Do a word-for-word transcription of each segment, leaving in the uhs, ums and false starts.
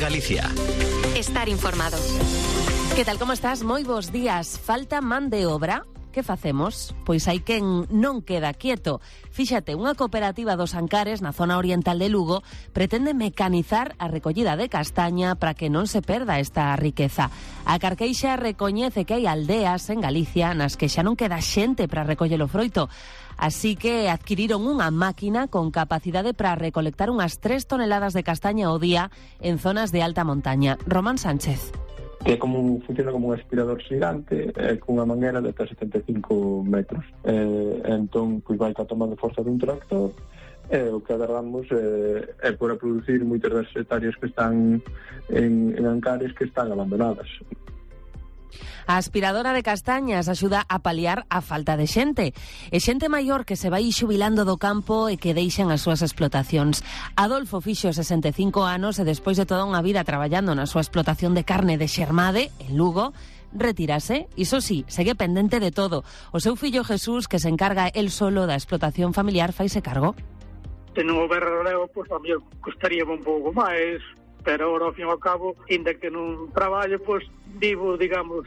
Galicia. Estar informado. Que tal, como estás? Moi bons días. Falta man de obra? Que facemos? Pois hai quen non queda quieto. Fíxate, unha cooperativa dos Ancares na zona oriental de Lugo pretende mecanizar a recollida de castaña para que non se perda esta riqueza. A Carqueixa recoñece que hai aldeas en Galicia nas que xa non queda xente para recoller o froito. Así que adquiriron unha máquina con capacidade para recolectar unhas tres toneladas de castaña ao día en zonas de alta montaña. Román Sánchez. Que como funciona como un aspirador xigante eh, cunha manguera de ata setenta e cinco metros. Eh, entón, pois vai ca tomando forza dun tractor e eh, o que agardamos eh, é por a producir moitas das hectáreas que están en, en Ancares que están abandonadas. A aspiradora de castañas axuda a paliar a falta de xente. E xente maior que se vai xubilando do campo e que deixan as súas explotacións. Adolfo fixo sesenta e cinco anos e despois de toda unha vida traballando na súa explotación de carne de Xermade, en Lugo, retírase, iso sí, segue pendente de todo. O seu fillo Jesús, que se encarga el solo da explotación familiar, faise cargo. Se non houber relevo, pois a mí costaría un pouco máis, pero ahora, ao fin e ao cabo, ainda que non traballo, pois vivo, digamos,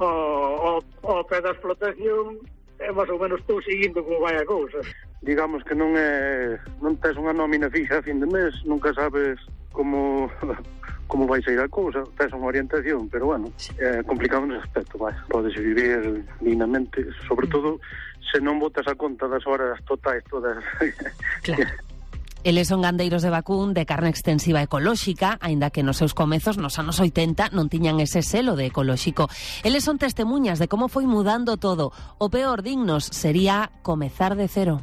ao, ao, ao pé da explotación, e máis ou menos estou seguindo como vai a cousa. Digamos que non é non tes unha nómina fixa a fin de mes, nunca sabes como como vai sair a cousa, tes unha orientación, pero bueno, é complicado nese aspecto, vai. Podes vivir dignamente, sobre todo se non botas a conta das horas totais todas. Claro. Eles son gandeiros de vacún de carne extensiva ecolóxica, aínda que nos seus comezos nos anos oitenta non tiñan ese selo de ecolóxico. Eles son testemunhas de como foi mudando todo. O peor, dignos, sería comezar de cero.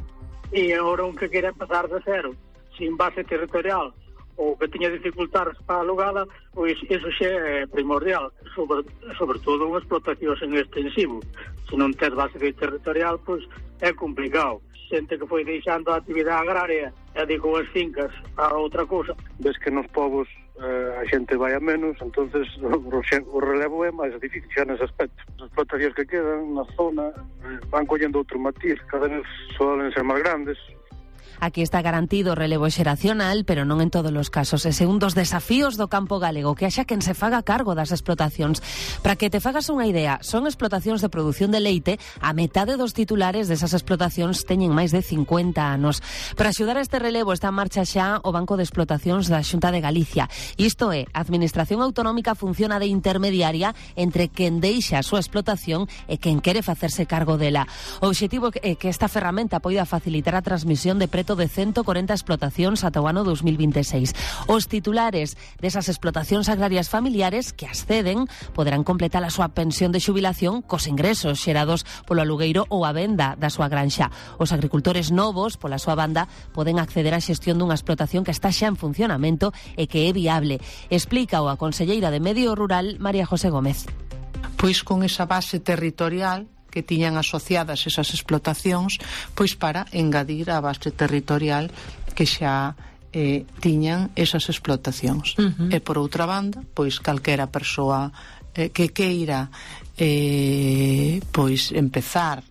E agora un que quere empezar de cero, sin base territorial, ou que tiña dificultades para a alugada, pois iso xa é primordial, sobre, sobre todo unha explotación en extensivo. Se non tes base territorial, pois é complicado. Xente que foi deixando a actividade agraria e dedicou as fincas a outra cousa. Ves que nos povos eh, a xente vai a menos, entonces o, o relevo é máis difícil xa nese aspecto. As explotacións que quedan na zona eh, van collendo outro matiz, cada vez solen ser máis grandes. Aquí está garantido o relevo xeracional, pero non en todos os casos. Ese é un dos desafíos do campo galego, que haxa quen se faga cargo das explotacións. Para que te fagas unha idea, son explotacións de produción de leite, a metade dos titulares desas explotacións teñen máis de cincuenta anos. Para axudar a este relevo está en marcha xa o Banco de Explotacións da Xunta de Galicia. Isto é, a Administración Autonómica funciona de intermediaria entre quen deixa a súa explotación e quen quere facerse cargo dela. O obxectivo é que esta ferramenta poida facilitar a transmisión de preto de ciento corenta explotacións ata o ano dos mil veintiséis. Os titulares desas explotacións agrarias familiares que acceden poderán completar a súa pensión de xubilación cos ingresos xerados polo alugueiro ou a venda da súa granxa. Os agricultores novos, pola súa banda, poden acceder á xestión dunha explotación que está xa en funcionamento e que é viable. Explica a conselleira de Medio Rural, María José Gómez. Pois con esa base territorial que tiñan asociadas esas explotacións, pois para engadir a base territorial que xa eh, tiñan esas explotacións. Uh-huh. E por outra banda, pois calquera persoa eh, que queira eh, pois empezar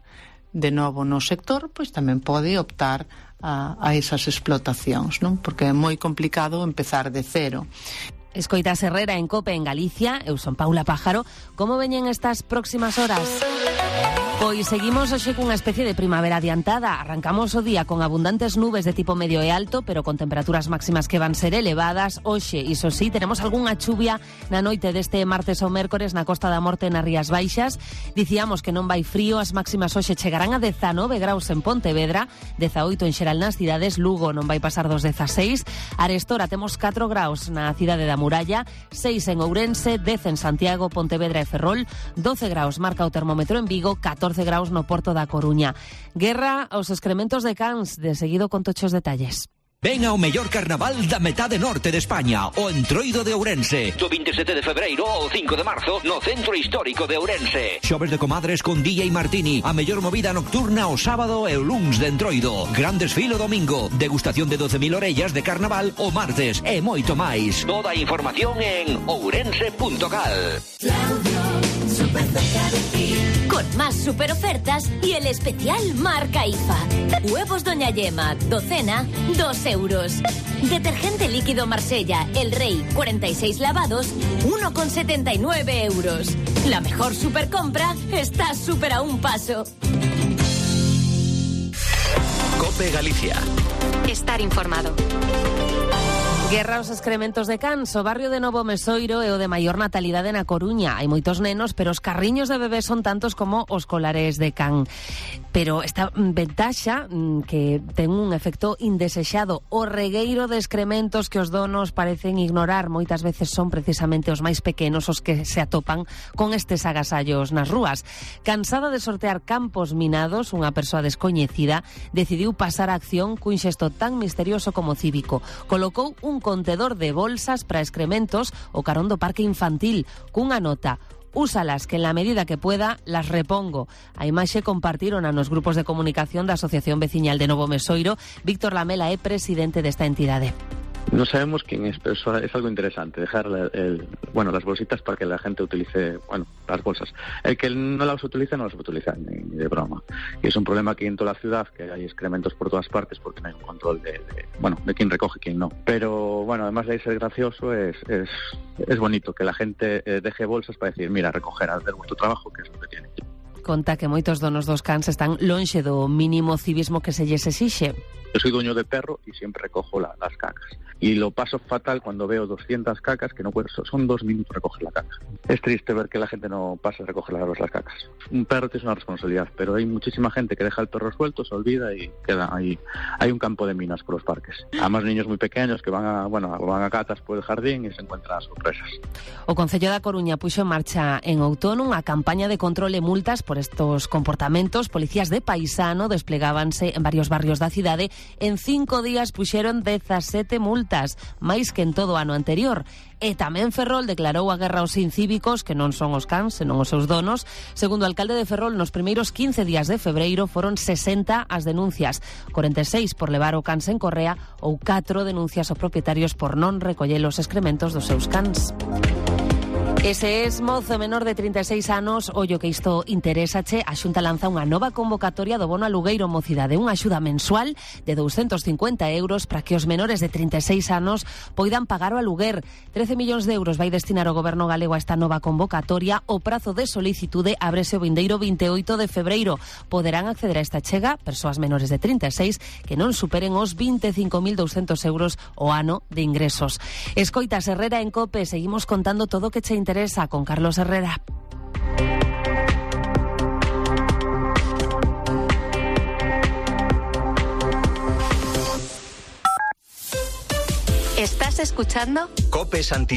de novo no sector, pois tamén pode optar a, a esas explotacións, non? Porque é moi complicado empezar de cero. Escoitas Herrera en COPE en Galicia. Eu son Paula Pájaro. Como veñen estas próximas horas? Pois seguimos hoxe cunha especie de primavera adiantada. Arrancamos o día con abundantes nubes de tipo medio e alto, pero con temperaturas máximas que van ser elevadas. Hoxe, iso sí, teremos algunha chuvia na noite deste martes ou mércores na Costa da Morte nas Rías Baixas. Dicíamos que non vai frío, as máximas hoxe chegarán a dezanove graus en Pontevedra, dezaoito en xeral nas cidades, Lugo non vai pasar dos dezaseis, Arestora temos catro graus na cidade da Muralla, seis en Ourense, dez en Santiago, Pontevedra e Ferrol, doce graus marca o termómetro en Vigo, catorce graus no Porto da Coruña. Guerra aos excrementos de cans, de seguido con tochos detalles. Ven ao mellor carnaval da metade norte de España, o Entroido de Ourense. Do vinte e sete de febreiro ao cinco de marzo no Centro Histórico de Ourense. Xoves de comadres con D J Martini, a mellor movida nocturna o sábado e o luns de Entroido. Gran desfile o domingo, degustación de doce mil orellas de carnaval o martes e moito máis. Toda a información en ourense punto cal. Súper cerca de ti. Con más super ofertas y el especial marca I F A. Huevos Doña Yema, docena, dos euros. Detergente líquido Marsella, El Rey, cuarenta y seis lavados, uno con setenta y nueve euros. La mejor supercompra está súper a un paso. COPE Galicia. Estar informado. Guerra aos excrementos de cans. O barrio de Novo Mesoiro é o de maior natalidade na Coruña. Hai moitos nenos, pero os carriños de bebés son tantos como os colares de can. Pero esta ventaxa que ten un efecto indesexado. O regueiro de excrementos que os donos parecen ignorar moitas veces son precisamente os máis pequenos os que se atopan con estes agasallos nas rúas. Cansada de sortear campos minados, unha persoa descoñecida decidiu pasar a acción cun xesto tan misterioso como cívico. Colocou un contedor de bolsas para excrementos o carón do parque infantil cunha nota: úsalas, que en la medida que pueda las repongo. A imaxe compartiron nos grupos de comunicación da Asociación Veciñal de Novo Mesoiro. Víctor Lamela é presidente desta entidade. No sabemos quién es, pero eso es algo interesante, dejar el, el, bueno, las bolsitas para que la gente utilice, bueno, las bolsas. El que no las utilice no las utiliza ni, ni de broma. Y es un problema aquí en toda la ciudad, que hay excrementos por todas partes porque no hay un control de, de bueno, de quién recoge y quién no. Pero bueno, además de ser gracioso, es, es, es bonito que la gente eh, deje bolsas para decir, mira, recoger, hacer vuestro trabajo, que es lo que tiene. Conta que moitos donos dos cans están lonxe do mínimo civismo que se lles exixe. Yo soy dueño de perro y siempre recojo la, las cacas. Y lo paso fatal cuando veo doscientas cacas que no puedo, son dos minutos recoger la caca. Es triste ver que la gente no pasa a recoger las, las cacas. Un perro es una responsabilidad, pero hay muchísima gente que deja el perro suelto, se olvida y queda ahí. Hay un campo de minas por los parques. Además, niños muy pequeños que van a, bueno, van a catas por el jardín y se encuentran sorpresas. O Concello da Coruña puxo en marcha en outono unha campaña de control e multas por estos comportamentos. Policías de paisano desplegábanse en varios barrios da cidade. En cinco días puxeron dezasete multas, máis que en todo o ano anterior. E tamén Ferrol declarou a guerra aos incívicos, que non son os cans, senón os seus donos. Segundo o alcalde de Ferrol, nos primeiros quince días de febreiro foron sesenta as denuncias, corenta e seis por levar o cans en correa ou catro denuncias aos propietarios por non recoller os excrementos dos seus cans. Ese es mozo menor de trinta e seis anos. Ollo que isto interésache. A Xunta lanza unha nova convocatoria do bono alugueiro mocidade, unha axuda mensual de douscentos cincuenta euros para que os menores de trinta e seis anos poidan pagar o aluguer. trece millóns de euros vai destinar o goberno galego a esta nova convocatoria. O prazo de solicitude ábrese o vindeiro vinte e oito de febreiro. Poderán acceder a esta chega persoas menores de trinta e seis que non superen os vinte e cinco mil douscentos euros o ano de ingresos. Escoitas Herrera en COPE. Seguimos contando todo o que che interesa con Carlos Herrera. ¿Estás escuchando? COPE Santiago.